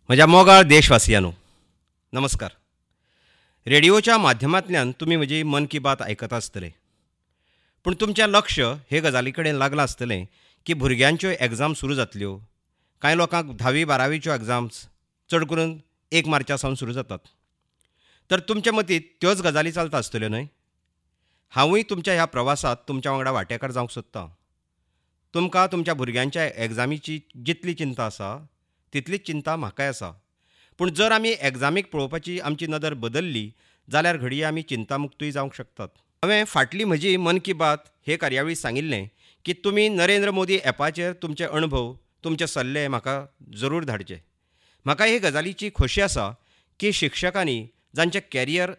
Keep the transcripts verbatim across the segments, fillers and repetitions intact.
म्हज्या मोगाळ देशवासियांनो, नमस्कार. रेडिओच्या माध्यमांतल्यान तुमी म्हजी मन की बात आयकता आसतले, पूण तुमचें लक्ष हे गजाली कडेन लागलां आसतलें की भुरग्यांच्यो एग्जाम सुरू जातल्यो. कांय लोकांक धावी बारावीच्यो एग्जाम्स चड करून एक मार्चा सावन सुरू जातात. तर तुमच्या मतींत त्योच गजाली चलता आसतल्यो न्हय? हांवूय तुमच्या ह्या प्रवासांत तुमच्या वांगडा वांटेकार जावंक सोदतां. तुमकां तुमच्या भुरग्यांच्या एग्जामीची जितली चिंता आसा तितलीच चिंता म्हाकाय आसा. पूण जर आमी एग्जामीक पळोवपाची आमची नदर बदलली जाल्यार घडये आमी चिंतामुक्तूय जावंक शकतात. हांवें फाटली म्हजी मन की बात हे कार्यावळी सांगिल्लें की तुमी नरेंद्र मोदी ॲपाचेर तुमचे अणभव, तुमचे सल्ले म्हाका जरूर धाडचे. म्हाका हे गजालीची खोशी आसा की शिक्षकांनी, जांचें कॅरियर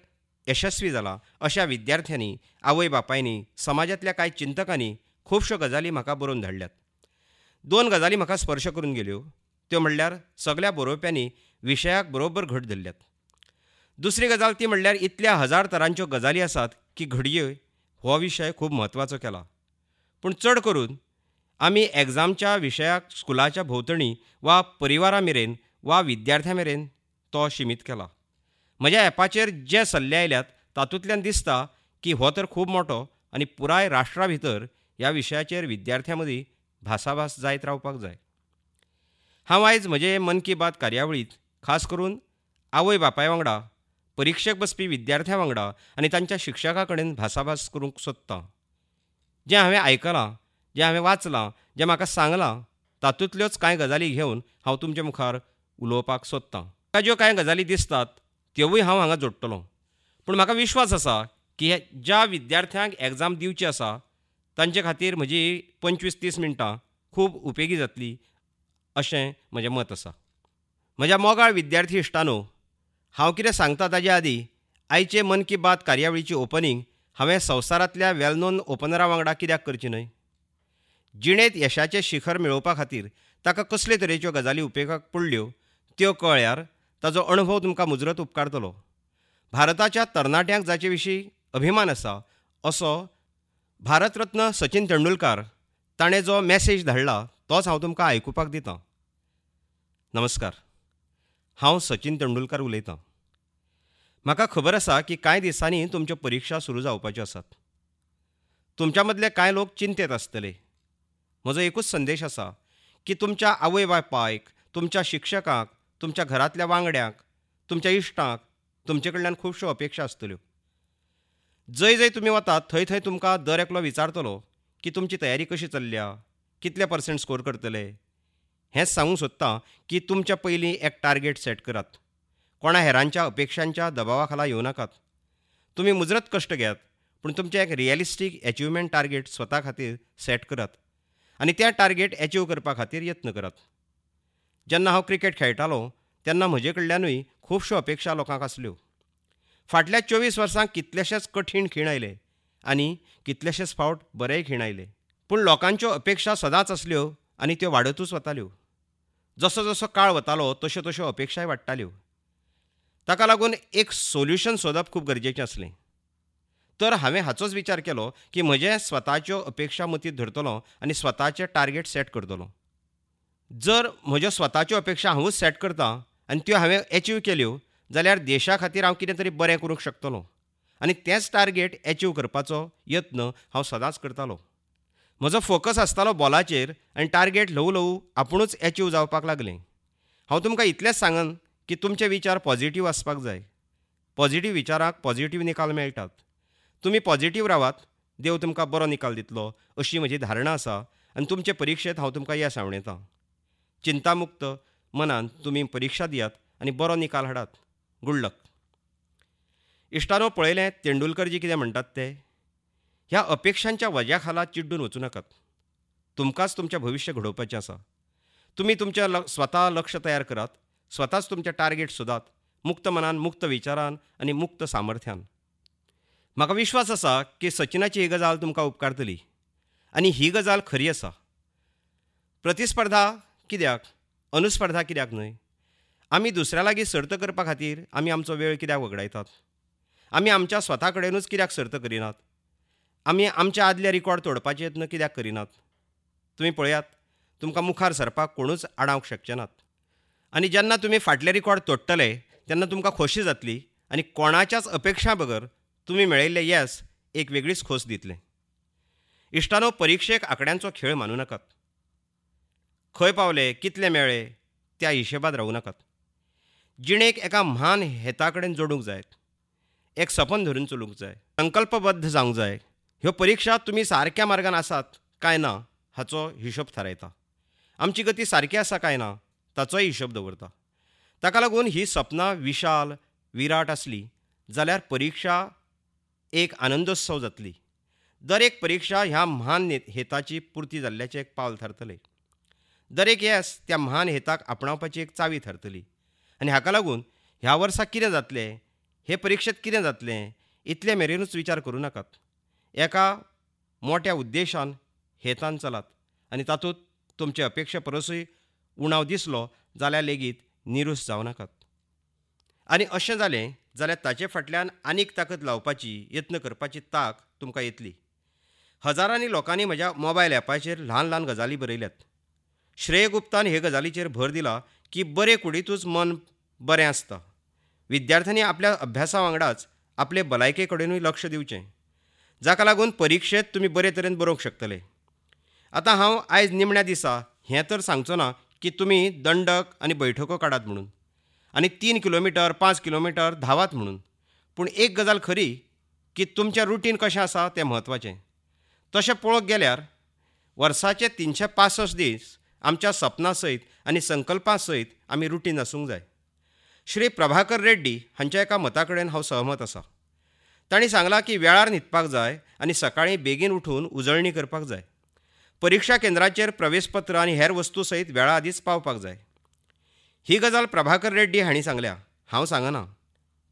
यशस्वी जालां अशा विद्यार्थ्यांनी, आवय बापायनी, समाजांतल्या कांय चिंतकांनी खुबश्यो गजाली म्हाका बरोवन धाडल्यात. दोन गजाली म्हाका स्पर्श करून गेल्यो, त्यो म्हणल्यार सगल्या बरोवप्यांनी विशयाक बरोबर घट धरल्यात. दुसरी गजाल ती म्हणल्यार इतल्या हजार तरांच्यो गजाली आसात की घडये हो विशय खूब म्हत्वाचो केला. पूण चड करून आमी एग्जामच्या विशयाक स्कुलाच्या भोंवतणी वा परिवारा मेरेन वा विद्यार्थ्यां मेरेन तो शिमीत केला. म्हज्या ॲपाचेर जे सल्ले आयल्यात तातूंतल्यान दिसता की हो तर खूब मोठो आनी पुराय राष्ट्रा भितर ह्या विशयाचेर विद्यार्थ्यां मदीं भासाभास जायत रावपाक जाय. हांव आयज म्हजे मन की बात कार्यावळींत खास करून आवय बापाय वांगडा, परिक्षेक बसपी विद्यार्थ्यां वांगडा आनी तांच्या शिक्षकां कडेन भासाभास करूंक सोदतां. जें हांवें आयकलां, जें हांवें वाचलां, जें म्हाका सांगलां तातूंतल्योच कांय गजाली घेवन हांव तुमचे मुखार उलोवपाक सोदतां. म्हाका ज्यो कांय गजाली दिसतात त्योवूय हांव हांगा जोडटलो. पूण म्हाका विश्वास आसा की ज्या विद्यार्थ्यांक एग्जाम दिवची आसा तांचे खातीर म्हजी पंचवीस तीस मिनटां खूब उपेगी जातली अशें म्हजें मत आसा. म्हज्या मोगाळ विद्यार्थी इश्टानो, हांव कितें सांगता ताजे आदीं आयचे मन की बात कार्यावळीची ओपनींग हांवें संवसारांतल्या वेल नोन ओपनरा वांगडा कित्याक करची न्हय? जिणेंत यशाचें शिखर मेळोवपा खातीर ताका कसले तरेच्यो गजाली उपेगाक पडल्यो त्यो कळ्ळ्यार ताजो अणभव तुमकां मुजरत उपकारतलो. भारताच्या तरणाट्यांक जाचे विशीं अभिमान आसा असो भारतरत्न सचिन तेंडुलकार ताणें जो मॅसेज धाडला तोच हांव तुमकां आयकुपाक दितां. नमस्कार, हांव सचिन तेंडुलकार उलयतां. म्हाका खबर आसा की कांय दिसांनी तुमच्यो परिक्षा सुरू जावपाच्यो आसात. तुमच्या मदले कांय लोक चिंतेत आसतले. म्हजो एकूच संदेश आसा की तुमच्या आवय बापायक, तुमच्या शिक्षकांक, तुमच्या घरांतल्या वांगड्यांक, तुमच्या इश्टांक तुमचे कडल्यान खुबश्यो अपेक्षा आसतल्यो. जंय जंय तुमी वतात थंय थंय तुमकां दर एकलो विचारतलो की तुमची तयारी कशी चल्ल्या, कितले पर्संट स्कोर करतले. हेंच सांगूंक सोदतां की तुमच्या पयलीं एक टार्गेट सेट करात. कोणा हेरांच्या अपेक्षांच्या दबावा खाला येवं नाकात. तुमी मुजरत कश्ट घेयात, पूण तुमचें एक रियलिस्टीक एचिवमेंट टार्गेट स्वता खातीर सेट करात आनी त्या टार्गेट एचीव करपा खातीर यत्न करात. जेन्ना हांव क्रिकेट खेळटालो तेन्ना म्हजे कडल्यानूय खुबश्यो अपेक्षा लोकांक आसल्यो. फाटल्या चोवीस वर्सांक कितलेशेच कठीण खीण आयले आनी कितलेशेच फावट बरेय खीण आयले, पूण लोकांच्यो अपेक्षा सदांच आसल्यो आनी त्यो वाडतूच वताल्यो. जसो जसो काळ वतालो तश्यो तश्यो अपेक्षाय वाडटाल्यो. ताका लागून एक सोल्युशन सोदप खूब गरजेचें आसलें. तर हांवें हाचोच विचार केलो की म्हजे स्वताच्यो अपेक्षा मतींत धरतलो आनी स्वताचें टार्गेट सेट करतलो. जर म्हज्यो स्वताच्यो अपेक्षा हांवूच सेट करतां आनी त्यो हांवें एचीव केल्यो जाल्यार देशा खातीर हांव कितें तरी बरें करूंक शकतलो आनी तेंच टार्गेट एचीव करपाचो यत्न हांव सदांच करतालो. म्हजो फोकस आसतालो बॉलाचेर आनी टार्गेट ल्हवू ल्हवू आपुणूच एचीव जावपाक लागलें. हांव तुमकां इतलेंच सांगन की तुमचे विचार पॉझिटीव आसपाक जाय. पॉझिटीव विचारांक पॉझिटीव निकाल मेळटात. तुमी पॉझिटीव रावात, देव तुमकां बरो निकाल दितलो अशी म्हजी धारणा आसा आनी तुमचे परिक्षेंत हांव तुमकां येस आंवडेतां. चिंतामुक्त मनान तुमी परिक्षा दियात आनी बरो निकाल हाडात. Good luck. इश्टानो, पळयलें तेंडुलकर जी कितें म्हणटात ते? ह्या अपेक्षांच्या वज्या खाला चिड्डून वचूं नाकात. तुमकांच तुमचें भविश्य घडोवपाचें आसा. तुमी तुमचें ल स्वता लक्ष तयार करात, स्वताच तुमचें टार्गेट सोदात, मुक्त मनान, मुक्त विचारान आनी मुक्त सामर्थ्यान. म्हाका विश्वास आसा की सचिनाची ही गजाल तुमकां उपकारतली आनी ही गजाल खरी आसा. प्रतिस्पर्धा कित्याक, अनुस्पर्धा कित्याक न्हय? आमी दुसऱ्या लागीं सर्त करपा खातीर आमी आमचो वेळ कित्याक वगडायतात? आमी आमच्या स्वता कडेनूच कित्याक सर्त करिनात? आमी आमच्या आदले रिकॉर्ड तोडपाचे यत्न कित्याक करिनात? तुमी पळयात, तुमकां मुखार सरपाक कोणूच आडावंक शकचे नात. आनी जेन्ना तुमी फाटले रिकॉर्ड तोडटले तेन्ना तुमकां खोशी जातली आनी कोणाच्याच अपेक्षा बगर तुमी मेळयल्लें येस एक वेगळीच खोस दितलें. इश्टानो, परिक्षेक आंकड्यांचो खेळ मानूं नाकात. खंय पावले, कितले मेळ्ळे त्या हिशेबात रावूं नाकात. जिणेक एका म्हान हेता कडेन जोडूंक जाय, एक सपन धरून चलूंक जाय, संकल्पबद्ध जावंक जाय. ह्यो परिक्षा तुमी सारक्या मार्गान आसात काय ना हाचो हिशोब थारायता. आमची गती सारकी आसा काय ना ताचोय हिशोब दवरता. ताका लागून ही सपनां विशाल विराट आसली जाल्यार परिक्षा एक आनंदोत्सव जातली. दर एक परिक्षा ह्या म्हान हेताची पुर्ती जाल्ल्याचें एक पावल थारतलें. दर एक येस त्या म्हान हेताक आपणावपाची एक चावी थारतली. आनी हाका लागून ह्या वर्सा कितें जातलें, हे परिक्षेंत कितें जातलें इतले मेरेनूच विचार करूं नाकात. एका मोट्या उद्देशान हेतान चलात आनी तातूंत तुमचे अपेक्षे परसूय उणाव दिसलो जाल्यार लेगीत निरूस जावं नाकात. आनी अशें जालें जाल्यार ताचे फाटल्यान आनीक ताकद लावपाची, यत्न करपाची तांक तुमकां येतली. हजारांनी लोकांनी म्हज्या मोबायल ॲपाचेर ल्हान ल्हान गजाली बरयल्यात. श्रेय गुप्तान हे गजालीचेर भर दिला की बरे कुडींतूच मन बरें आसता. विद्यार्थ्यांनी आपल्या अभ्यासा वांगडाच आपले भलायके कडेनूय लक्ष दिवचें, जाका लागून परिक्षेंत तुमी बरे तरेन बरोवंक शकतले. आतां हांव आयज निमण्या दिसा हें तर सांगचो ना की तुमी दंडक आनी बैठको काडात म्हणून आनी तीन किलोमिटर पांच किलोमिटर धांवात म्हणून, पूण एक गजाल खरी की तुमचें रुटीन कशें आसा तें म्हत्वाचें. तशें पळोवंक गेल्यार वर्साचे तिनशे पासश्ट दीस आमच्या सपनां सयत आनी संकल्पां सयत आमी रुटीन आसूंक जाय. श्री प्रभाकर रेड्डी हांच्या एका मता कडेन हांव सहमत आसा. तांणी सांगलां की वेळार न्हिदपाक जाय आनी सकाळीं बेगीन उठून उजळणी करपाक जाय. परिक्षा केंद्राचेर प्रवेशपत्र आनी हेर वस्तू सयत वेळा आदींच पावपाक जाय. ही गजाल प्रभाकर रेड्डी हांणी सांगल्या, हांव सांगना.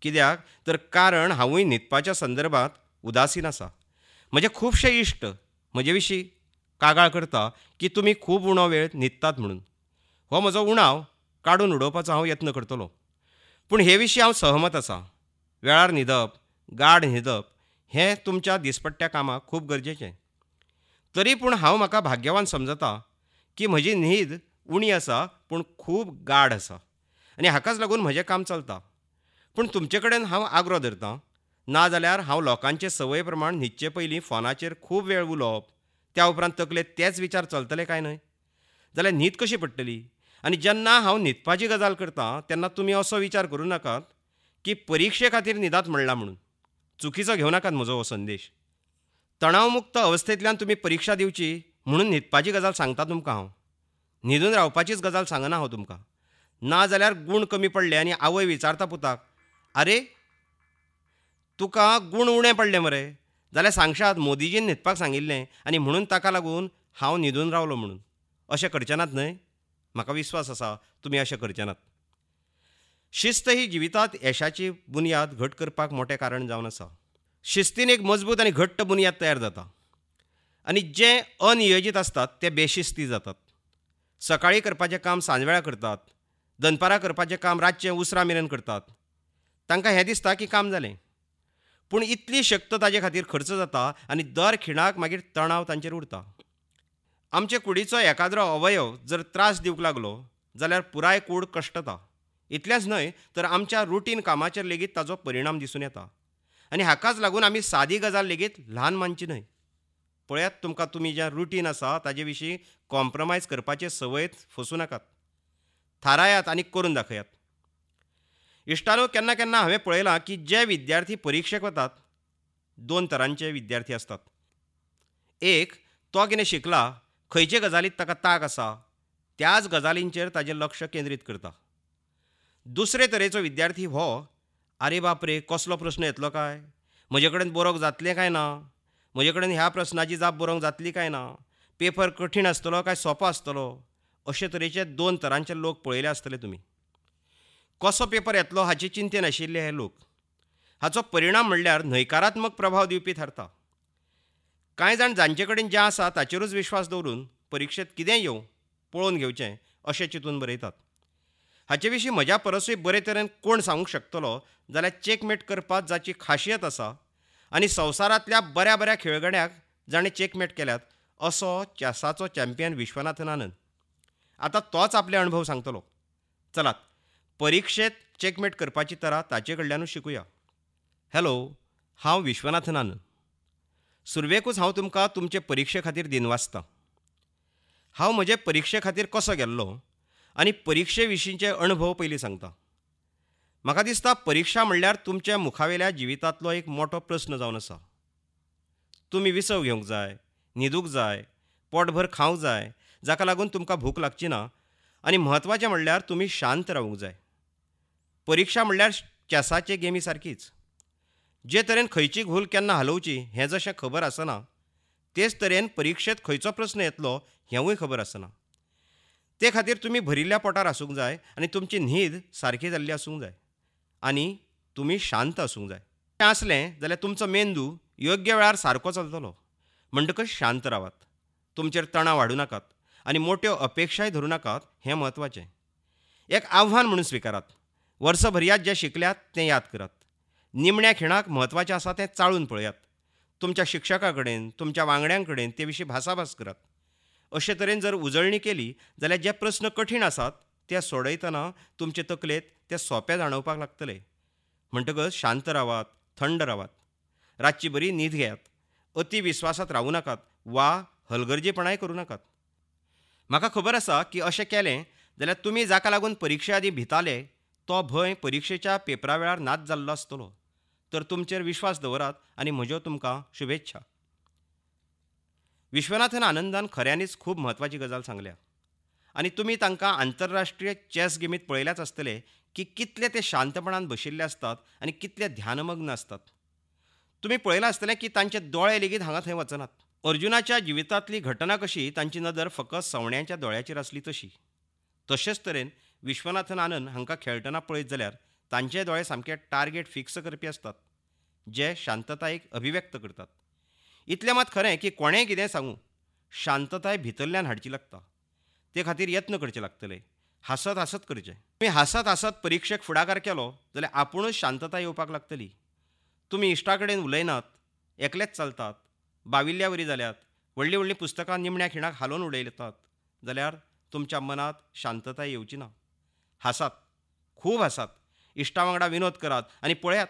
कित्याक तर कारण हांवूय न्हिदपाच्या संदर्भात उदासीन आसा. म्हजे खुबशे इश्ट म्हजे विशीं कागाळ करता की तुमी खूब उणो वेळ न्हिदतात म्हणून. हो म्हजो उणाव काडून उडोवपाचो हांव यत्न करतलो. पूण हे विशीं हांव सहमत आसा. वेळार न्हिदप, गाढ न्हिदप हें तुमच्या दिसपट्ट्या कामाक खूब गरजेचें. तरी पूण हांव म्हाका भाग्यवान समजता की म्हजी न्हीद उणी आसा पूण खूब गाढ आसा आनी हाकाच लागून म्हजें काम चलता. पूण तुमचे कडेन हांव आग्रो धरतां, नाजाल्यार हांव लोकांचे संवये प्रमाण न्हिदचे पयलीं फोनाचेर खूब वेळ उलोवप, त्या उपरांत तकलेंत तेच विचार चलतले काय न्हय, जाल्यार न्हीद कशी पडटली. आनी जेन्ना हांव न्हिदपाची गजाल करतां तेन्ना तुमी असो विचार करूं नाकात की परिक्षे खातीर न्हिदात म्हणलां म्हणून. चुकीचो घेवं नाकात म्हजो हो संदेश. तणावमुक्त अवस्थेंतल्यान तुमी परिक्षा दिवची म्हणून न्हिदपाची गजाल सांगता तुमकां हांव. न्हिदून रावपाचीच गजाल सांगना हांव तुमकां. नाजाल्यार गूण कमी पडले आनी आवय विचारता पुताक, आरे तुका गूण उणें पडले मरे, जाल्यार सांगशात मोदीजीन न्हिदपाक सांगिल्लें आनी म्हणून ताका लागून हांव न्हिदून रावलो म्हणून. अशें करचे नात न्हय? म्हाका विस्वास आसा तुमी अशें करचे नात. शिस्त ही जिवितांत येशाची बुन्याद घट करपाक मोठें कारण जावन आसा. शिस्तीन एक मजबूत आनी घट्ट बुन्याद तयार जाता आनी जे अनियोजीत आसतात ते बेशिस्ती जातात. सकाळीं करपाचें काम सांजवेळा करतात, दनपारां करपाचें काम रातचें उसरां मेरेन करतात. तांकां हें दिसता की काम जालें, पूण इतली शक्त ताजे खातीर खर्च जाता आनी दर खिणाक मागीर तणाव तांचेर उरता. आमचे कुडीचो एकाद्रो अवयव जर त्रास दिवंक लागलो जाल्यार पुराय कूड कश्टता. इतलेंच न्हय तर आमच्या रुटीन कामाचेर लेगीत ताजो परिणाम दिसून येता आनी हाकाच लागून आमी सादी गजाल लेगीत ल्हान मानची न्हय. पळयात, तुमकां तुमी जें रुटीन आसा ताजे विशीं कॉम्प्रोमायज करपाचे संवयेत फसूं नाकात. थारायात आनी करून दाखयात. इश्टानो, केन्ना केन्ना हांवें पळयलां की जे विद्यार्थी परिक्षेक वतात, दोन तरांचे विद्यार्थी आसतात. एक, तो कितें शिकला, खंयचे गजालीत ताका तांक आसा त्याच गजालींचेर ताजें लक्ष केंद्रीत करता. दुसरे तरेचो विद्यार्थी हो, आरे बाप रे, कसलो प्रस्न येतलो काय, म्हजे कडेन बरोवंक जातलें काय ना, म्हजे कडेन ह्या प्रस्नाची जाप बरोवंक जातली काय ना, पेपर कठीण आसतलो काय सोंपो आसतलो, अशे तरेचे दोन तरांचे लोक पळयले आसतले तुमी. कसो पेपर येतलो हाची चिंतेन आशिल्ले हे लोक. हाचो परिणाम म्हणल्यार न्हयकारात्मक प्रभाव दिवपी थारता. कांय जाण जांचे कडेन जें आसा ताचेरूच विश्वास दवरून परिक्षेंत कितेंय येवं पळोवन घेवचें अशें चिंतून बरयतात. हाचे विशीं म्हज्या परसूय बरे तरेन कोण सांगूंक शकतलो जाल्यार चेकमेट करपाक जाची खाशियत आसा आनी संवसारांतल्या बऱ्या बऱ्या खेळगड्यांक जाणें चेकमेट केल्यात असो चॅसाचो चॅम्पियन विश्वनाथन आनंद. आतां तोच आपले अणभव सांगतलो. चलात, परिक्षेत चॅकमेट करपाची तरा ताचे कडल्यानूच शिकुया. हॅलो, हांव विश्वनाथन आनंद. सुरवेकूच हांव तुमकां तुमचे परिक्षे खातीर दिनवासतां. हांव म्हजे परिक्षे खातीर कसो गेल्लो आनी परिक्षे विशींचे अणभव पयलीं सांगता. म्हाका दिसता परिक्षा म्हणल्यार तुमच्या मुखावेल्या जिवितांतलो एक मोटो प्रस्न जावन आसा. तुमी विसव घेवंक जाय, न्हिदूंक जाय, पोटभर खावंक जाय, जाका लागून तुमकां भूक लागची ना, आनी म्हत्वाचें म्हणल्यार तुमी शांत रावूंक जाय. परिक्षा म्हणल्यार चॅसाचे गेमी सारकीच. जे तरेन खंयची घूल केन्ना हालोवची हें जशें खबर आसना, तेच तरेन परिक्षेंत खंयचो प्रस्न येतलो हेंवूय खबर आसना. ते खातीर तुमी भरिल्ल्या पोटार आसूंक जाय आनी तुमची न्हीद सारकी जाल्ली आसूंक जाय आनी तुमी शांत आसूंक जाय. तें आसलें जाल्यार तुमचो मेंदू योग्य वेळार सारको चलतलो. म्हणटकच शांत रावात, तुमचेर तणाव वाडूं नाकात आनी मोट्यो अपेक्षाय धरूं नाकात. हें म्हत्वाचें. एक आव्हान म्हणून स्विकारात. वर्सभरयात जें शिकल्यात तें याद करात. निमण्या खिणाक म्हत्वाचें आसा तें चाळून पळयात. तुमच्या शिक्षका कडेन, तुमच्या वांगड्यां कडेन ते विशीं भासाभास करात. अशे तरेन जर उजळणी केली जाल्यार जे प्रस्न कठीण आसात ते सोडयतना तुमचे तकलेंत ते सोंपे जाणवपाक लागतले. म्हणटकच शांत रावात, थंड रावात, रातची बरी न्हीद घेयात, अति विस्वासांत रावूं नाकात वा हलगर्जीपणाय करूं नाकात. म्हाका खबर आसा की अशें केलें जाल्यार तुमी जाका लागून परिक्षे आदीं भिताले तो भंय परिक्षेच्या पेपरा वेळार नाच जाल्लो आसतलो. तर तुमचेर विश्वास दवरात आनी म्हज्यो तुमकां शुभेच्छा. विश्वनाथन आनंदान खऱ्यांनीच खूब म्हत्वाची गजाल सांगल्या आनी तुमी तांकां आंतरराष्ट्रीय चॅस गेमींत पळयल्याच आसतले की कितले ते शांतपणान बशिल्ले आसतात आनी कितले ध्यानमग्न आसतात. तुमी पळयलां आसतलें की तांचे दोळे लेगीत हांगा थंय वचनात. अर्जुनाच्या जिवितांतली घटना कशी तांची नदर फकत सवण्यांच्या दोळ्याचेर आसली तशी, तशेंच तरेन विश्वनाथन आनंद हांकां खेळटना पळयत जाल्यार तांचे दोळे सामके टार्गेट फिक्स करपी आसतात, जे शांततायेक अभिव्यक्त करतात. इतलें मात खरें की कोणेंय कितें सांगूं, शांतताय भितरल्यान हाडची लागता. ते खातीर यत्न करचे लागतले. हांसत हांसत करचें. तुमी हांसत हांसत परिक्षेक फुडाकार केलो जाल्यार आपुणूच शांतताय येवपाक लागतली. तुमी इश्टा कडेन उलयनात, एकलेच चलतात, बाविल्ल्या वरी जाल्यात, व्हडलीं व्हडलीं पुस्तकां निमण्या खिणाक हालोवन उडयतात जाल्यार तुमच्या मनांत शांतताय येवची ना. हांसात, खूब हांसात, इश्टा वांगडा विनोद करात आनी पळयात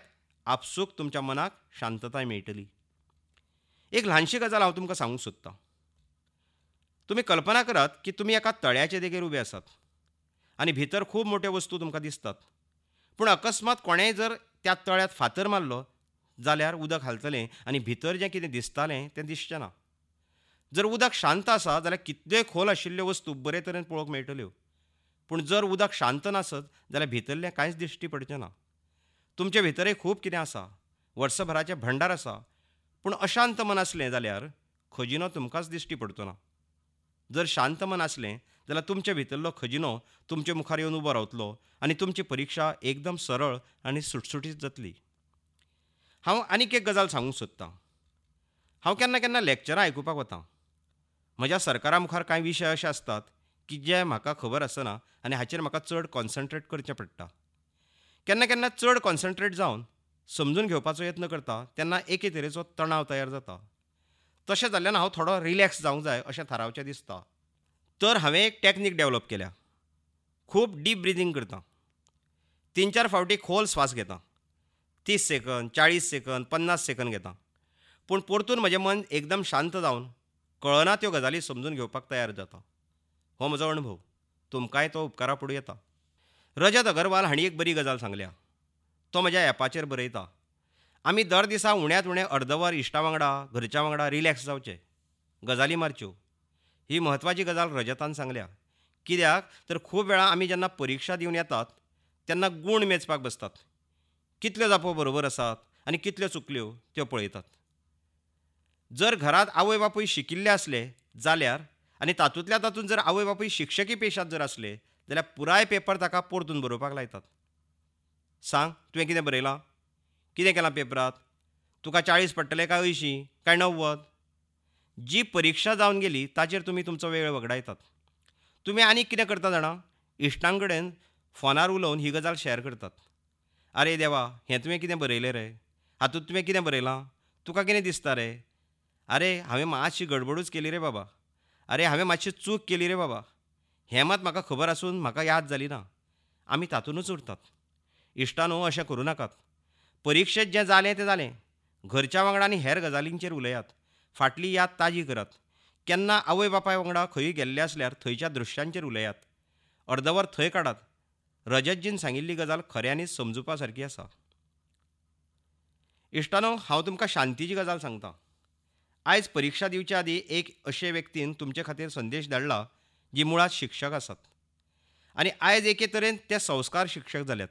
आपसूक तुमच्या मनाक शांतताय मेळटली. एक ल्हानशी गजाल हांव तुमकां सांगूंक सोदतां. तुमी कल्पना करात की तुमी एका तळ्याचे देगेर उबे आसात आनी भितर खूब मोट्यो वस्तू तुमकां दिसतात. पूण अकस्मात कोणेंय जर त्या तळ्यांत फातर मारलो जाल्यार उदक हालतलें आनी भितर जें कितें दिसतालें तें दिसचें ना. जर उदक शांत आसा जाल्यार कितल्योय खोल आशिल्ल्यो वस्तू बरे तरेन पळोवंक मेळटल्यो. पूण जर उदक शांत नासत जाल्यार भितरलें कांयच दिश्टी पडचें ना. तुमचे भितरय खूब कितें आसा, वर्सभराचें भंडार आसा, पूण अशांत मन आसलें जाल्यार खजिनो तुमकांच दिश्टी पडचो ना. जर शांत मन आसलें जाल्यार तुमचे भितरलो खजिनो तुमचे मुखार येवन उबो रावतलो आनी तुमची परिक्षा एकदम सरळ आनी सुटसुटीत जातली. हांव आनीक एक गजाल सांगूंक सोदतां. हांव केन्ना केन्ना लॅक्चरां आयकुपाक वतां. म्हज्या सरकारा मुखार कांय विशय अशे आसतात की जे म्हाका खबर आसना आनी हाचेर म्हाका चड कॉन्सन्ट्रेट करचें पडटा. केन्ना केन्ना चड कॉन्सन्ट्रेट जावन समजून घेवपाचो यत्न करता तेन्ना एके तरेचो तणाव तयार जाता. तशें जाल्ल्यान हांव थोडो रिलॅक्स जावंक जाय अशें थारावचें दिसता. तर हांवें एक टॅक्नीक डेवलप केल्या. खूब डीप ब्रिदींग करता. तीन चार फावटी खोल स्वास घेता. तीस सेकंद, चाळीस सेकंद, पन्नास सेकंद घेता. पूण परतून म्हजें मन एकदम शांत जावन कळना त्यो गजाली समजून घेवपाक तयार जाता. हो म्हजो अणभव. तुमकांय तो उपकारा पडूं येता. रजत अगरवाल हांणी एक बरी गजाल सांगल्या. तो म्हज्या ॲपाचेर बरयता, आमी दर दिसा उण्यांत उणें अर्दवर इश्टा वांगडा, घरच्या वांगडा रिलॅक्स जावचें, गजाली मारच्यो. ही म्हत्वाची गजाल रजतान सांगल्या. कित्याक तर खूब वेळा आमी जेन्ना परिक्षा दिवन येतात तेन्ना गूण मेजपाक बसतात. कितल्यो जापो बरोबर आसात आनी कितल्यो चुकल्यो त्यो पळयतात. जर घरांत आवय बापूय शिकिल्ले आसले जाल्यार आनी तातूंतल्या तातूंत जर आवय बापूय शिक्षकी पेशांत जर आसले जाल्यार पुराय पेपर ताका परतून बरोवपाक लायतात. सांग तुवें कितें बरयलां, कितें केलां पेपरांत, तुका चाळीस पडटले काय अंयशीं काय णव्वद. जी परिक्षा जावन गेली ताचेर तुमी तुमचो वेळ वगडायतात. तुमी आनीक कितें करता जाणा, इश्टां कडेन फोनार उलोवन ही गजाल शॅर करतात. आरे देवा, हें तुवें कितें बरयलें रे, हातूंत तुवें कितें बरयलां, तुका कितें दिसता रे, आरे हांवें मातशी गडबडूच केली रे बाबा, आरे हांवें मातशी चूक केली रे बाबा, हें मात म्हाका खबर आसून म्हाका याद जाली ना. आमी तातूंतच उरतात. इश्टानो, अशें करूं नाकात. परिक्षेत जें जालें तें जालें. घरच्या वांगडा आनी हेर गजालींचेर उलयात. फाटली याद ताजी करात. केन्ना आवय बापाय वांगडा खंय गेल्ले आसल्यार थंयच्या दृश्यांचेर उलयात. अर्दवर थंय काडात. रजतजीन सांगिल्ली गजाल खऱ्यांनीच समजुपा सारकी आसा. इश्टानो, हांव तुमकां शांतीची गजाल सांगता. आयज परिक्षा दिवच्या आदी एक अशे व्यक्तीन तुमचे खातीर संदेश धाडला जी मुळांत शिक्षक आसात आनी आयज एके तरेन ते संस्कार शिक्षक जाल्यात.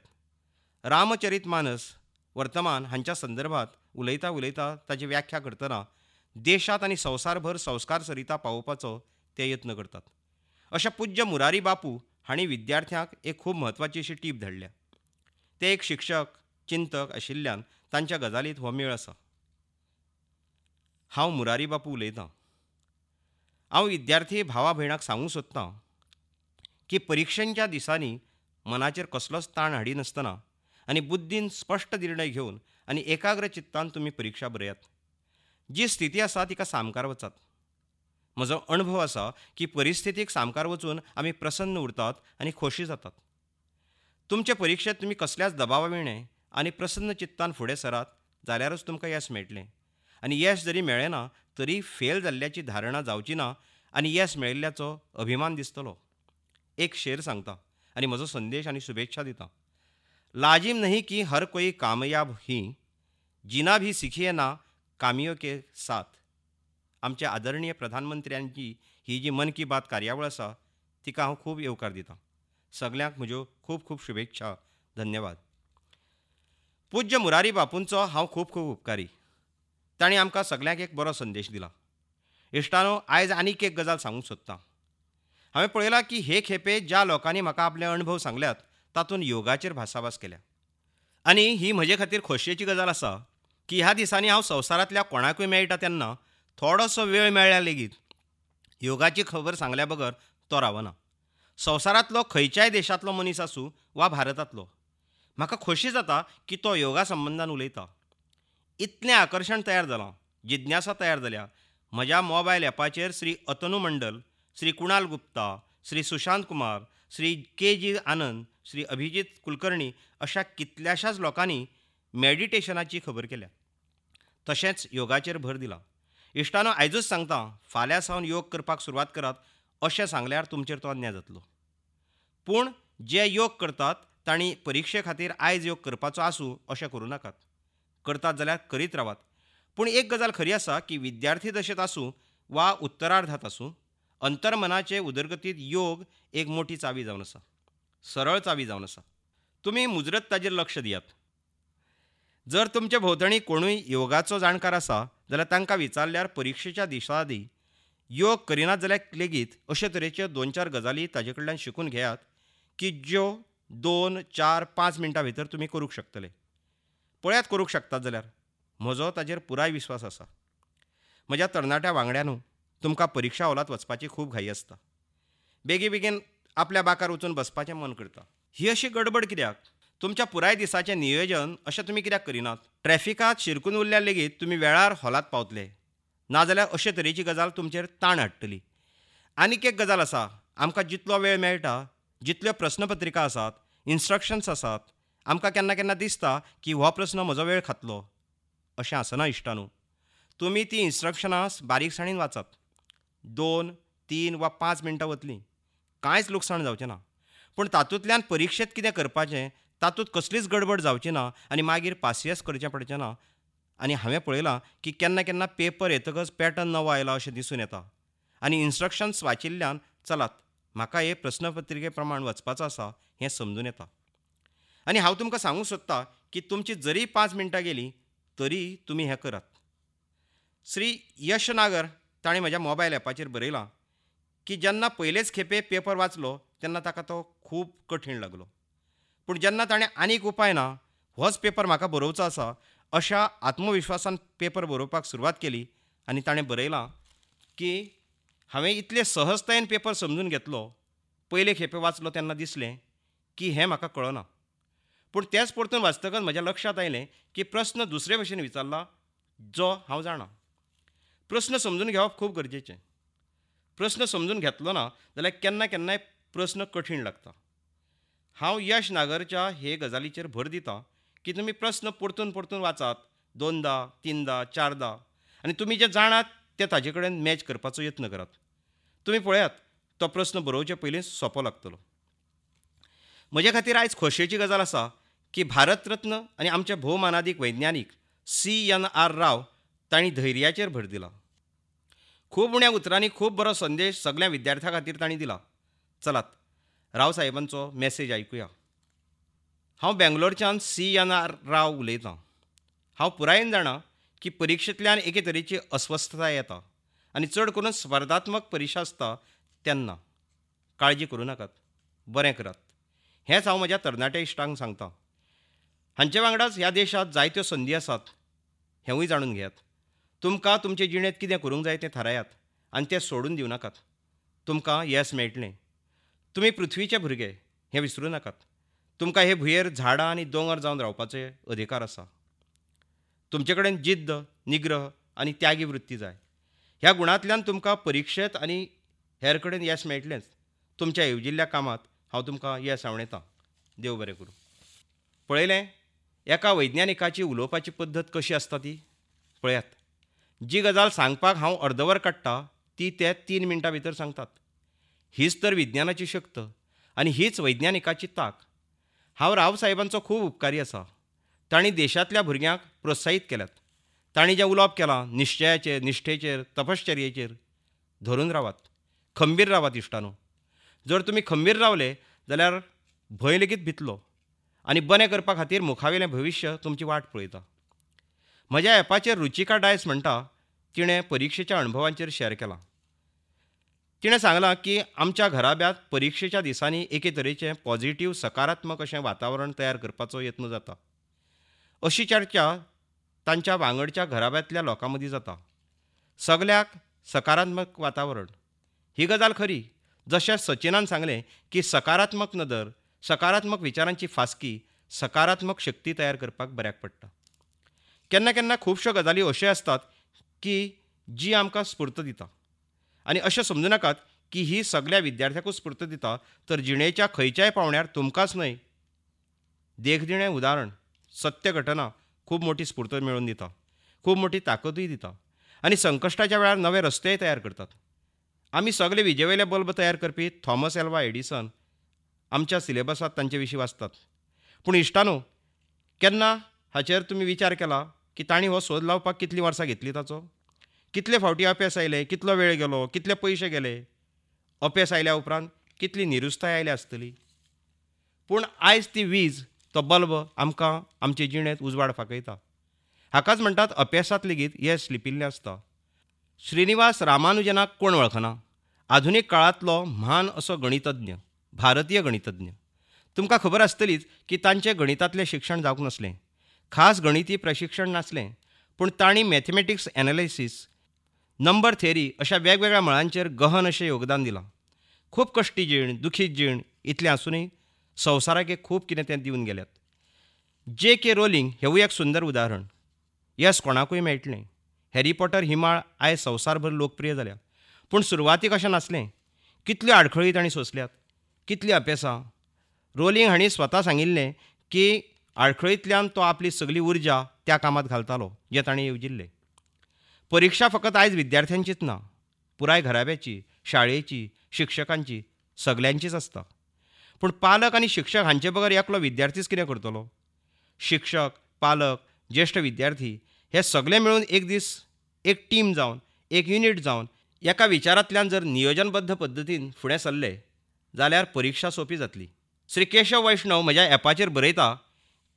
रामचरित मानस वर्तमान हांच्या संदर्भात उलयता उलयता ताची व्याख्या करतना देशांत आनी संवसारभर संस्कार सरिता पावोवपाचो ते यत्न करतात. अशा पूज्य मुरारी बापू हांणी विद्यार्थ्यांक एक खूब म्हत्वाची अशी टीप धाडल्या. ते एक शिक्षक चिंतक आशिल्ल्यान तांच्या गजालींत हो मेळ आसा. हांव मुरारी बापू उलयतां. हांव विद्यार्थी भावा भयणाक सांगूंक सोदतां की परिक्षेच्या दिसांनी मनाचेर कसलोच ताण हाडिनासतना आनी बुद्दीन स्पश्ट निर्णय घेवन आनी एकाग्र चित्तान तुमी परिक्षा बरयात. जी स्थिती आसा तिका सामकार वचात. म्हजो अणभव आसा की परिस्थितीक सामकार वचून आमी प्रसन्न उरतात आनी खोशी जातात. तुमचे परिक्षेत तुमी कसल्याच दबावा विणें आनी प्रसन्न चित्तान फुडें सरात जाल्यारच तुमकां येस मेळटलें. आनी येस जरी मेळ्ळें ना तरी फेल जाल्ल्याची धारणा जावची ना आनी येस मेळिल्ल्याचो अभिमान दिसतलो. एक शेर सांगता आनी म्हजो संदेश आनी शुभेच्छा दिता. लाजिम नहीं कि हर कोई कामयाब ही, जीना भी सीखिए ना कामियों के साथ. आमच्या आदरणीय प्रधानमंत्र्यांची ही जी मन की बात कार्यावळ आसा तिका हांव खूब येवकार दितां. सगल्यांक म्हज्यो खूब खूब शुभेच्छा. धन्यवाद. पूज्य मुरारी बापूंचो हांव खूब खूब उपकारी. तांणी आमकां सगल्यांक एक बरो संदेश दिला. इश्टानो, आयज आनीक एक गजाल सांगूंक सोदतां. हांवें पळयलां की हे खेपे ज्या लोकांनी म्हाका आपले अणभव सांगल्यात तातूंत योगाचेर भासाभास केल्या आनी ही म्हजे खातीर खोशयेची गजाल आसा की ह्या दिसांनी हांव संवसारांतल्या कोणाकूय मेळटा तेन्ना थोडोसो वेळ मेळ्ळ्यार लेगीत योगाची खबर सांगल्या बगर तो रावना. संवसारांतलो खंयच्याय देशांतलो मनीस आसूं वा भारतांतलो, म्हाका खोशी जाता की तो योगा संबंदान उलयता. इतलें आकर्शण तयार जालां, जिज्ञासा तयार जाल्या. म्हज्या मोबायल एपाचेर श्री अतनु मंडल, श्री कुणाल गुप्ता, श्री सुशांत कुमार, श्री के जी आनंद, श्री अभिजीत कुलकर्णी अशा कितल्याशाच लोकांनी मेडिटेशनाची खबर केल्या, तशेंच योगाचेर भर दिला. इश्टानो, आयजूच सांगता, फाल्यां सावन योग करपाक सुरवात करात अशें सांगल्यार तुमचेर तो अन्याय जातलो. पूण जे योग करतात तांणी परिक्षे खातीर आयज योग करपाचो आसूं अशें करूं नाकात. करतात जाल्यार करीत रावात. पूण एक गजाल खरी आसा की विद्यार्थी दशेंत आसूं वा उत्तरार्धात आसूं, अंतर्मनाचे उदरगतींत योग एक मोठी चावी जावन आसा, सरळ चावी जावन आसा. तुमी मुजरत ताजेर लक्ष दियात. जर तुमचे भोंवतणी कोणूय योगाचो जाणकार आसा जाल्यार तांकां विचारल्यार परिक्षेच्या दिसा आदीं योग करिनात जाल्यार लेगीत अशे तरेच्यो दोन चार गजाली ताजे कडल्यान शिकून घेयात की ज्यो दोन चार पांच मिनटां भितर तुमी करूंक शकतले. पळयात करूंक शकतात जाल्यार. म्हजो ताजेर पुराय विस्वास आसा. म्हज्या तरणाट्या वांगड्यानू, तुमकां परिक्षा हॉलांत वचपाची खूब घाई आसता. बेगी बेगीन आपल्या बाकार वचून बसपाचें मन करता. ही अशी गडबड कित्याक? तुमच्या पुराय दिसाचें नियोजन अशें तुमी कित्याक करिनात? ट्रॅफिकांत शिरकून उरल्यार लेगीत तुमी वेळार हॉलांत पावतले, नाजाल्यार अशे तरेची गजाल तुमचेर ताण हाडटली. आनीक एक गजाल आसा, आमकां जितलो वेळ मेळटा, जितल्यो प्रस्नपत्रिका आसात, इन्स्ट्रक्शन्स आसात, आमकां केन्ना केन्ना दिसता की हो प्रस्न म्हजो वेळ खातलो. अशें आसना इश्टानू. तुमी ती इन्स्ट्रक्शनां बारीकसाणीन वाचात. दोन तीन वा पांच मिनटां वतलीं, कांयच लुकसाण जावचें ना. पूण तातूंतल्यान परिक्षेंत कितें करपाचें तातूंत कसलीच गडबड जावची ना आनी मागीर पासियेस करचें पडचें ना. आनी हांवें पळयलां की केन्ना केन्ना पेपर येतकच पॅटर्न नवो आयला अशें दिसून येता आनी इन्स्ट्रक्शन्स वाचिल्ल्यान चलात म्हाका हे प्रस्नपत्रिके प्रमाण वचपाचो आसा हें समजून येता. आनी हांव तुमकां सांगूंक सोदतां की तुमची जरी पांच मिनटां गेलीं तरी तुमी हें करात. श्री यश नागर ताणें म्हज्या मोबायल एपाचेर बरयलां की जेन्ना पयलेच खेपे पेपर वाचलो तेन्ना ताका तो खूब कठीण लागलो, पूण जेन्ना ताणें आनीक उपाय ना, होच पेपर म्हाका बरोवचो आसा अशा आत्मविश्वासान पेपर बरोवपाक सुरवात केली आनी ताणें बरयलां की हांवें इतले सहजतायेन पेपर समजून घेतलो, पयले खेपे वाचलो तेन्ना दिसलें की हें म्हाका कळना, पूण तेंच परतून वाचतकच म्हज्या लक्षांत आयलें की प्रस्न दुसरे भशेन विचारला जो हांव जाणा. प्रस्न समजून घेवप खूब गरजेचें. प्रस्न समजून घेतलो ना जाल्यार केन्ना केन्नाय प्रस्न कठीण लागता. हांव यश नागरच्या हे गजालीचेर भर दितां की तुमी प्रस्न परतून परतून वाचात, दोनदा, तिनदा, चारदा, आनी तुमी जे जाणात ते ताजे कडेन मॅच करपाचो यत्न करात. तुमी पळयात तो प्रस्न बरोवचे पयलीं सोंपो लागतलो. म्हजे खातीर आयज खोशयेची गजाल आसा की भारतरत्न आनी आमचे भोवमानादीक वैज्ञानीक सी एन आर राव तांणी धैर्याचेर भर दिला. खूब उण्या उतरांनी खूब बरो संदेश सगळ्या विद्यार्थ्यां खातीर तांणी दिला. चलात राव साहेबांचो मॅसेज आयकुया. हांव बेंगलोरच्यान सी एन आर राव उलयतां. हांव पुरायेन जाणा की परिक्षेंतल्यान एके तरेची अस्वस्थताय येता आनी चड करून स्पर्धात्मक परिक्षा आसता तेन्ना. काळजी करूं नाकात, बरें करात, हेंच हांव म्हज्या तरणाट्या इश्टांक सांगतां. हांचे वांगडाच ह्या देशांत जायत्यो संदी आसात हेंवूय जाणून घेयात. तुमकां तुमचे जिणेंत कितें करूंक जाय तें थारायात आनी तें सोडून दिवं नाकात. तुमकां येस मेळटलें. तुमी पृथ्वीचे भुरगे हें विसरूं नाकात. तुमकां हे भुंयेर झाडां आनी दोंगर जावन रावपाचे अधिकार आसा. तुमचे कडेन जिद्द, निग्रह आनी त्यागी वृत्ती जाय. ह्या गुणांतल्यान तुमकां परिक्षेंत आनी हेर कडेन येस मेळटलेंच. तुमच्या येवजिल्ल्या कामांत हांव तुमकां येस आंवडेतां. देव बरें करूं. पळयलें एका वैज्ञानिकाची उलोवपाची पद्दत कशी आसता ती पळयात. जी गजाल सांगपाक हांव अर्दवर काडटा ती ते तीन मिनटां भितर सांगतात. हीच तर विज्ञानाची शक्त आनी हीच वैज्ञानिकाची तांक. हांव राव साहेबांचो खूब उपकारी आसा. तांणी देशांतल्या भुरग्यांक प्रोत्साहीत केल्यात. तांणी जें उलोवप केलां निश्चयाचेर, निश्ठेचेर, तपश्चर्येचेर धरून रावात, खंबीर रावात इश्टानो. जर तुमी खंबीर रावले जाल्यार भंय लेगीत भितलो आनी बरें करपा खातीर मुखावेलें भविश्य तुमची वाट पळयता. म्हज्या एपाचेर रुचिका डायस म्हणटा तिणें परिक्षेच्या अणभवांचेर शेअर केलां. तिणें सांगलां की आमच्या घराब्यांत परिक्षेच्या दिसांनी एके तरेचें पॉझिटीव, सकारात्मक अशें वातावरण तयार करपाचो यत्न जाता. अशी चर्चा तांच्या वांगडच्या घराब्यांतल्या लोकां मदीं जाता. सगल्याक सकारात्मक वातावरण ही गजाल खरी. जशें सचिनान सांगलें की सकारात्मक नदर, सकारात्मक विचारांची फास्की सकारात्मक शक्ती तयार करपाक बऱ्याक पडटा. केन्ना केन्ना खुबश्यो गजाली अश्यो आसतात की जी आमकां स्फूर्त दिता आनी अशें समजूं नाकात की ही सगल्या विद्यार्थ्यांकूच स्फूर्त दिता, तर जिणेच्या खंयच्याय पावंड्यार तुमकांच न्हय, देखदिणें उदाहरण, सत्य घटना खूब मोठी स्फूर्त मेळोवन दिता, खूब मोठी ताकदूय दिता आनी संकश्टाच्या वेळार नवे रस्तेय तयार करतात. आमी सगळे विजेवेले बल्ब तयार करपी थॉमस एल्वा एडिसन आमच्या सिलेबसांत तांचे विशीं वाचतात. पूण इश्टानो, केन्ना हाचेर तुमी विचार केला की तांणी हो सोद लावपाक कितलीं वर्सां घेतली, ताचो कितले फावटी अपेस आयले, कितलो वेळ गेलो, कितले पयशे गेले, अपेस आयल्या उपरांत कितली निरुस्ताय आयल्या आसतली. पूण आयज ती वीज, तो बल्ब आमकां आमचे जिणेंत उजवाड फांकयता. हाकाच म्हणटात अपेसांत लेगीत येस लिपिल्लें आसता. श्रीनिवास रामानुजनाक कोण वळखना? आधुनीक काळांतलो म्हान असो गणितज्ञ, भारतीय गणितज्ञ. तुमकां खबर आसतलीच की तांचें गणितांतलें शिक्षण जावंक नासलें, खास गणिती प्रशिक्षण नासलें, पूण तांणी मॅथमॅटिक्स एनालिसीस, नंबर थेरी अशा वेगवेगळ्या मळांचेर गहन अशें योगदान दिलां. खूब कश्टी जीण, दुखीत जीण इतलें आसुनूय संवसाराक एक खूब कितें तें दिवन गेल्यात. जे के रोलिंग हेवूय एक सुंदर उदाहरण. येस कोणाकूय मेळटलें. हॅरी पॉटर ही माळ आयज संवसारभर लोकप्रिय जाल्या, पूण सुरवातीक अशें नासलें. कितल्यो आडखळी तांणी सोंसल्यात, कितलीं अपेसां. रोलिंग हांणी स्वता सांगिल्लें की आडखळींतल्यान तो आपली सगली उर्जा त्या कामांत घालतालो जें ताणें येवजिल्लें. परिक्षा फकत आयज विद्यार्थ्यांचीच ना, पुराय घराब्याची, शाळेची, शिक्षकांची, सगल्यांचीच आसता. पूण पालक आनी शिक्षक हांचे बगर एकलो विद्यार्थीच कितें करतलो? शिक्षक, पालक, ज्येश्ठ विद्यार्थी हे सगळे मेळून एक दीस एक टीम जावन, एक युनीट जावन एका विचारांतल्यान जर नियोजनबद्ध पद्दतीन फुडें सरले जाल्यार परिक्षा सोंपी जातली. श्री केशव वैष्णव म्हज्या एपाचेर बरयता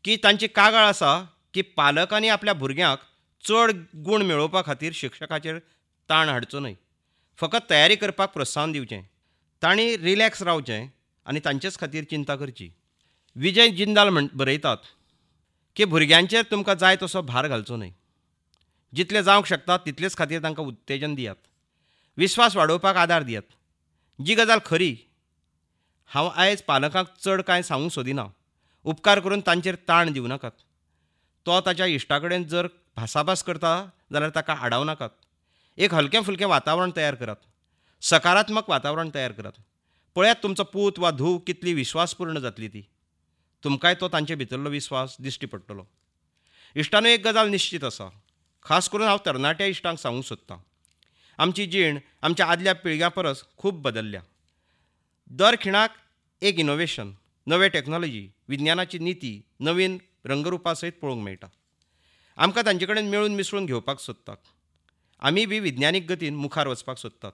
की तांची कागाळ आसा की पालकांनी आपल्या भुरग्यांक चड गूण मेळोवपा खातीर शिक्षकाचेर ताण हाडचो न्हय, फकत तयारी करपाक प्रोत्साहन दिवचें. तांणी रिलॅक्स रावचें आनी तांचेच खातीर चिंता करची. विजय जिंदाल म्हण बरयतात की भुरग्यांचेर तुमकां जाय तसो भार घालचो न्हय, जितले जावंक शकता तितलेच खातीर तांकां उत्तेजन दियात, विस्वास वाडोवपाक आदार दियात. जी गजाल खरी, हांव आयज पालकांक चड कांय सांगूंक सोदिना, उपकार करून तांचेर ताण दिवं नाकात. तो ताच्या इश्टा कडेन जर भासाभास करता जाल्यार ताका आडावं नाकात. एक हलकें फुलकें वातावरण तयार करात, सकारात्मक वातावरण तयार करात. पळयात तुमचो पूत वा धूव कितली विश्वासपूर्ण जातली ती. तुमकांय तो तांचे भितरलो विश्वास दिश्टी पडटलो. इश्टांनो, एक गजाल निश्चित आसा, खास करून हांव तरणाट्या इश्टांक सांगूंक सोदतां, आमची जीण आमच्या आदल्या पिळग्यां परस खूब बदल्ल्या. दर खिणाक एक इनोवेशन, नवे टॅक्नोलॉजी, विज्ञानाची निती नवीन रंगरुपा सयत पळोवंक मेळटा. आमकां तांचे कडेन मेळून मिसळून घेवपाक सोदतात. आमी बी विज्ञानीक गतीन मुखार वचपाक सोदतात.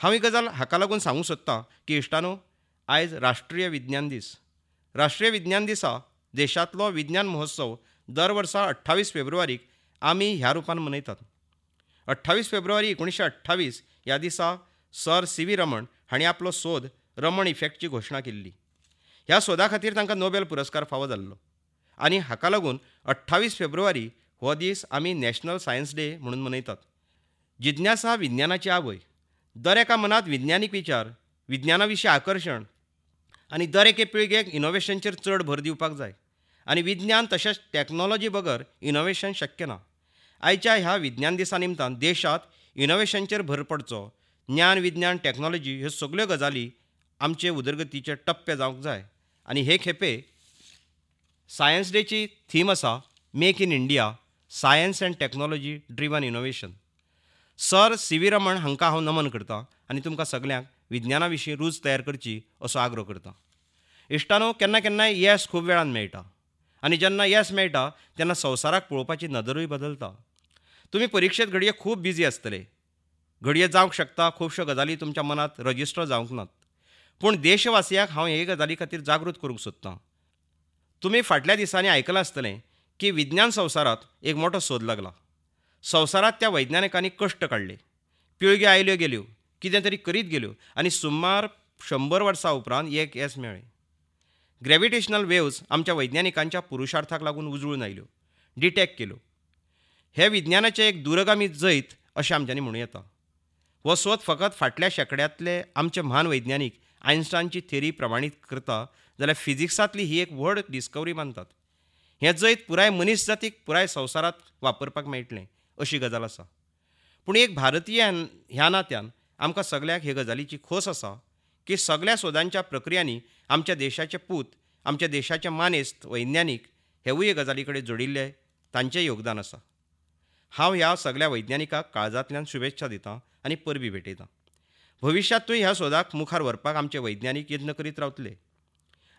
हांव ही गजाल हाका लागून सांगूंक सोदतां की इश्टांनो, आयज राष्ट्रीय विज्ञान दीस. राष्ट्रीय विज्ञान दिसा देशांतलो विज्ञान महोत्सव दर वर्सा अठ्ठावीस फेब्रुवारीक आमी ह्या रुपान मनयतात. अठ्ठावीस फेब्रुवारी एकोणिशें अठ्ठावीस ह्या दिसा सर सी व्ही रमण हांणी आपलो सोद रमण इफेक्टची घोशणा केल्ली. ह्या सोदा खातीर तांकां नोबेल पुरस्कार फावो जाल्लो आनी हाका लागून अठ्ठावीस फेब्रुवारी हो दीस आमी नॅशनल सायन्स डे म्हणून मनयतात. जिज्ञासा विज्ञानाची आवय. दर एका मनांत विज्ञानीक विचार, विज्ञाना विशीं आकर्शण आनी दर एके पिळगेक इनोवेशनचेर चड भर दिवपाक जाय आनी विज्ञान तशेंच टॅक्नोलॉजी बगर इनोवेशन शक्य ना. आयच्या ह्या विज्ञान दिसा निमतान देशांत इनोवेशनचेर भर पडचो. ज्ञान, विज्ञान, टॅक्नोलॉजी ह्यो सगल्यो गजाली आमचे उदरगतीचे टप्पे जावंक जाय. आनी हे खेपे सायन्स डेची थीम आसा make in India, science and technology driven innovation. Sir C V Raman हांकां हांव नमन करतां आनी तुमकां सगल्यांक विज्ञाना विशीं रूच तयार करची असो आग्रो करतां. इश्टांनो, केन्ना केन्नाय येस खूब वेळान मेळटा आनी जेन्ना येस मेळटा तेन्ना संवसाराक पळोवपाची नदरूय बदलता. तुमी परिक्षेंत घडये खूब बिजी आसतले, घडये जावंक शकता खुबश्यो गजाली तुमच्या मनांत रजिस्टर जावंक नात, पूण देशवासियांक हांव हे गजाली खातीर जागृत करूंक सोदतां. तुमी फाटल्या दिसांनी आयकलां आसतलें की विज्ञान संवसारांत एक मोठो सोद लागला. संवसारांत त्या वैज्ञानिकांनी कश्ट काडले, पिळग्यो आयल्यो गेल्यो, कितें तरी करीत गेल्यो आनी सुमार शंबर वर्सां उपरांत एक येस मेळ्ळें. ग्रॅविटेशनल वेव्स आमच्या वैज्ञानिकांच्या पुरुषार्थाक लागून उजळून आयल्यो, डिटॅक्ट केल्यो. हे विज्ञानाचें एक दूरगामी जैत अशें आमच्यांनी म्हणूं येता. हो सोद फकत फाटल्या शेंकड्यांतले आमचे म्हान वैज्ञानीक आयन्स्टायनची थेरी प्रमाणीत करता जाल्यार फिजिक्सांतली ही एक व्हड डिस्कवरी मानतात. हें जैत पुराय मनीस जातीक पुराय संवसारांत वापरपाक मेळटलें अशी गजाल आसा. पूण एक भारतीय ह्या नात्यान आमकां सगल्यांक हे गजालीची खोस आसा की सगल्या सोदांच्या प्रक्रियांनी आमच्या देशाचे पूत, आमच्या देशाचे मानेस्त वैज्ञानीक हेवूय हे गजाली कडेन जोडिल्ले तांचें योगदान आसा. हांव ह्या सगल्या वैज्ञानिकांक काळजांतल्यान शुभेच्छा दितां आनी परबीं भेटयतां. भविश्यांतूय ह्या सोदाक मुखार व्हरपाक आमचे वैज्ञानीक यत्न करीत रावतले.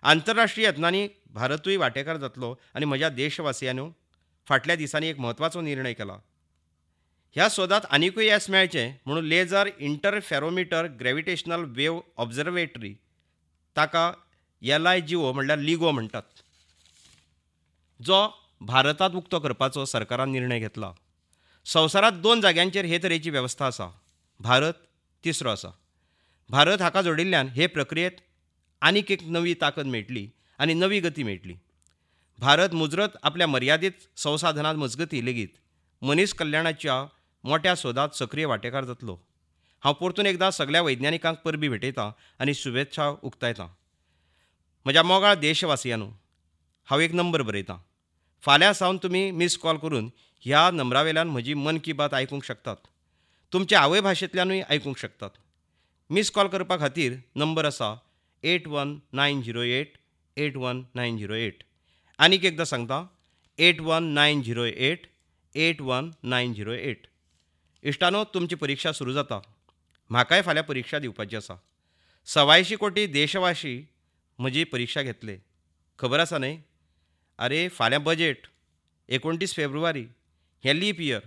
आंतरराष्ट्रीय यत्नांनी भारतूय वांटेकार जातलो आनी म्हज्या देशवासियांनो, फाटल्या दिसांनी एक म्हत्वाचो निर्णय केला. ह्या सोदांत आनिकूय येस मेळचें म्हणून laser interferometer gravitational wave observatory, ताका एल I जी ओ म्हणल्यार लिगो म्हणटात, जो भारतांत उक्तो करपाचो सरकारान निर्णय घेतला. संवसारांत दोन जाग्यांचेर हे तरेची वेवस्था आसा, भारत तिसरो आसा. भारत हाका जोडिल्ल्यान हे प्रक्रियेंत आनीक एक नवी ताकद मेळटली आनी नवी गती मेळटली. भारत मुजरत आपल्या मर्यादीत संसाधनां मजगती लेगीत मनीस कल्याणाच्या मोठ्या सोदांत सक्रीय वांटेकार जातलो. हांव परतून एकदां सगल्या वैज्ञानिकांक परबीं भेटयतां आनी शुभेच्छा उक्तायतां. म्हज्या मोगाळ देशवासियांनो, हांव एक नंबर बरयतां. फाल्यां सावन तुमी मीस कॉल करून ह्या नंबरावेल्यान म्हजी मन की बात आयकूंक शकतात. तुमचे आवय भाशेंतल्यानूय आयकूंक शकतात. मीस कॉल करपा खातीर नंबर आसा eight one nine zero eight eight one nine zero eight. आनीक एकदां सांगता, eight one nine zero eight eight one nine zero eight. इश्टानो, तुमची परिक्षा सुरू जाता. म्हाकाय फाल्यां परिक्षा दिवपाची आसा. सवायशीं कोटी देशवासी म्हजी परिक्षा घेतले, खबर आसा न्हय? आरे, फाल्यां बजेट एकोणतीस फेब्रुवारी, हें लीप इयर.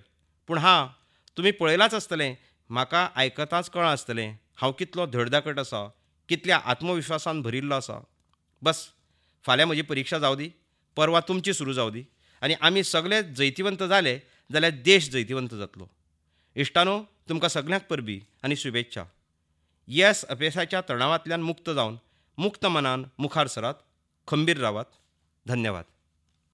पूण हां, तुमी पळयलांच आसतलें, म्हाका आयकताच कळ्ळां आसतलें हांव कितलो धडधाकट आसा, कितल्या आत्मविश्वासान भरिल्लो आसा. बस, फाल्यां म्हजी परिक्षा जावं दी, परवां तुमची सुरू जावं दी आनी आमी सगळे जैतिवंत जाले जाल्यार देश जैतिवंत जातलो. इश्टानो, तुमकां सगल्यांक परबीं आनी शुभेच्छा. येस अपेसाच्या तणावांतल्यान मुक्त जावन मुक्त मनान मुखार सरात, खंबीर रावात. धन्यवाद.